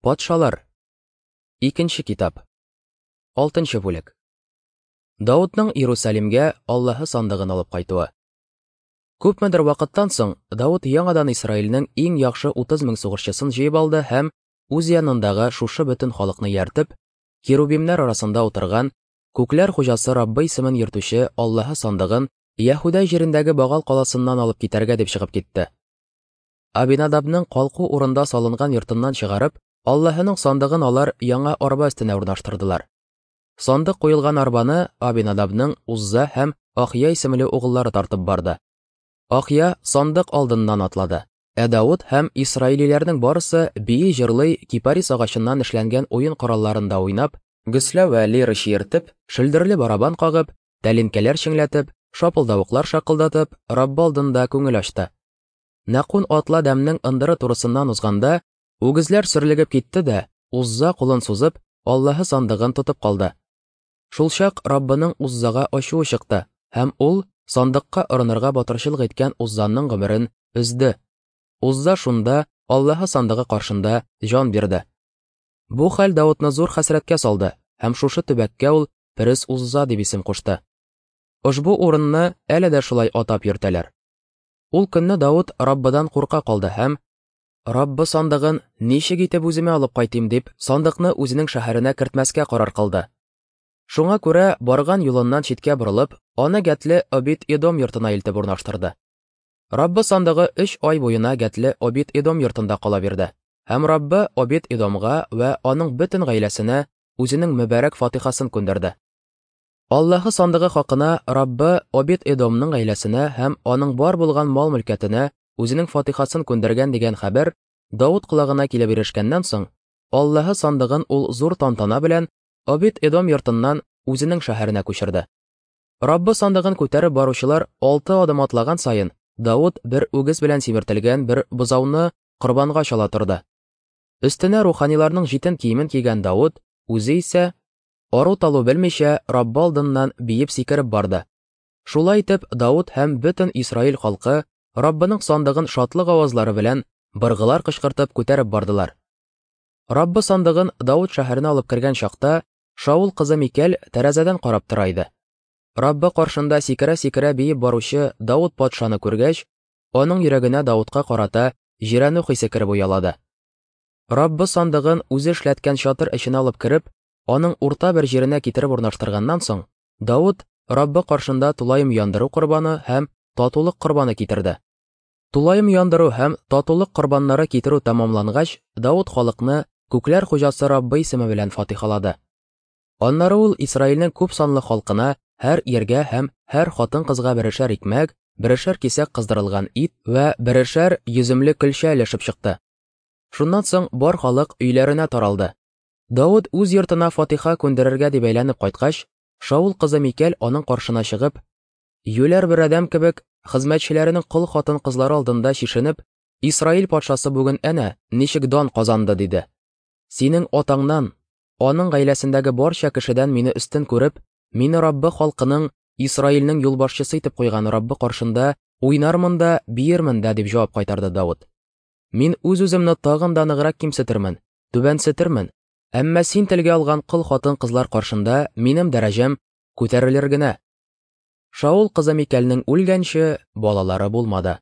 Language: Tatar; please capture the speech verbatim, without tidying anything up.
Патшалар. Икенче китап. Алтынчы бүлек. Даудның Иерусалимгә Аллаһы сандыгын алып кайтуы. Күпмедер вакыттан соң Дауд яңадан Исраилнең иң яхшы утыз мең сугышчысын җыеп алды һәм үз янындагы шушы бөтен халыкны ияртеп, керубимнәр арасында утырган Күкләр хуҗасы Раббы исемен йөртүче Аллаһы сандыгын Яһүдә җирендәге Багал каласыннан алып китәргә дип чыгып китте. Абинадабның калку урында салынган йортыннан чыгарып, Аллаһының сандыгын алар яңа арба өстенә урнаштырдылар. Сандык куелган арбаны Абинадабның Узза һәм Ахия исемле угыллары тартып барды. Ахия сандык алдыннан атлады. Ә Дауд һәм исраилиләрнең барысы бии җырлый кипарис агачыннан эшләнгән уен коралларында уйнап, гөслә вә лира чиертеп, шөлдерле барабан кагып, тәлинкәләр чеңләтеп, шапылдавыклар шакылдатып, Раббы алдында күңел ачты. Нәкун атлы адәмнең ындыры турысыннан узганда, үгезләр сөрлегеп китте дә, Узза кулын сузып, Аллаһы сандыгын тотып калды. Шулчак Раббының Уззага ачуы чыкты, һәм ул сандыкка орынырга батырчылык иткән Уззаның гомерен өзде. Узза шунда Аллаһы сандыгы каршында җан бирде. Бу хәл Даудны зур хәсрәткә салды, һәм шушы төбәккә ул Перес Узза дип исем кушты. Ошбу урынны әле дә шулай атап йөртәләр. Ул көнне Дауд Раббыдан курка калды һәм Раббы сандыгын ничек итеп үземә алып кайтыйм дип, сандыкны үзенең шәһәренә кертмәскә карар кылды. Шуңа күрә барган юлыннан читкә борылып, аны Гәтле Обид-Эдом йортына илтеп урнаштырды. Раббы сандыгы өч ай буена Гәтле Обид-Эдом йортында кала бирде. Һәм Раббы Обид-Эдомга вә аның бөтен гаиләсенә үзенең мөбарәк фатихасын күндерде. Аллаһы сандыгы хакына Раббы Обид-Эдомның гаиләсенә һәм аның бар булган мал-мөлкәтенә үзенең фатихасын күндергән дигән хәбәр Дауд колагына килеп ирешкәннән соң, Аллаһы сандыгын ул зур тантана белән Обид-Эдом йортыннан үзенең шәһәренә күчерде. Раббы сандыгын күтәреп баручылар алты адым атлаган саен, Дауд бер үгез белән симертелгән бер бозауны корбанга чала торды. Өстенә руханиларның җитен киемен кигән Дауд үзе исә ару-талу белмичә Раббы алдыннан биеп сикереп барды. Шулай итеп Дауд һәм бөтен Исраил халкы Раббының сандыгын шатлык авазлары белән быргылар кычкыртып күтәреп бардылар. Раббы сандыгын Дауд шәһәренә алып кергән чакта Шаул кызы Микәл тәрәзәдән карап тора иде. Раббы каршында сикерә-сикерә биеп баручы Дауд патшаны күргәч, аның йөрәгенә Даудка карата җирәнү хисе кереп уялады. Раббы сандыгын үзе эшләткән чатыр эченә алып кереп, аның урта бер җиренә китереп урнаштырганнан соң, Дауд Раббы каршында тулаем яндыру корбаны һәм татулык корбаны китерде. Тулаем яндыру һәм татулык корбаннары китерү тәмамлангач, Дауд халыкны Күкләр хуҗасы Раббы исеме белән фатихалады. Аннары ул Исраилнең күп санлы халкына һәр иргә һәм һәр хатын-кызга берешәр икмәк, берешәр кисәк кыздырылган ит вә берешәр йөземле көлчә өләшеп чыкты. Шуннан соң бар халык өйләренә таралды. Дауд үз йортына фатиха күндерергә дип әйләнеп кайткач, Шаул кызы Микәл аның каршына чыгып, юләр бер адәм кебек хезмәтчеләренең кол хатын-кызлары алдында чишенеп, Исраил патшасы бүген әнә ничек дан казанды, диде. Синең атаңнан, аның гаиләсендәге барча кешедән мине өстен күреп, мине Раббы халкының, Исраилнең юлбашчысы итеп куйган Раббы каршында уйнармын да, биермен дә, дип җавап кайтарды Дауд. Мин үз-үземне тагын да ныграк кимсетермен, түбәнсетермен, әмма син телгә алган кол хатын-кызлар каршында минем дәрәҗәм күтәрелер генә. Шаул кызы Микәлнең үлгәнче балалары булмады.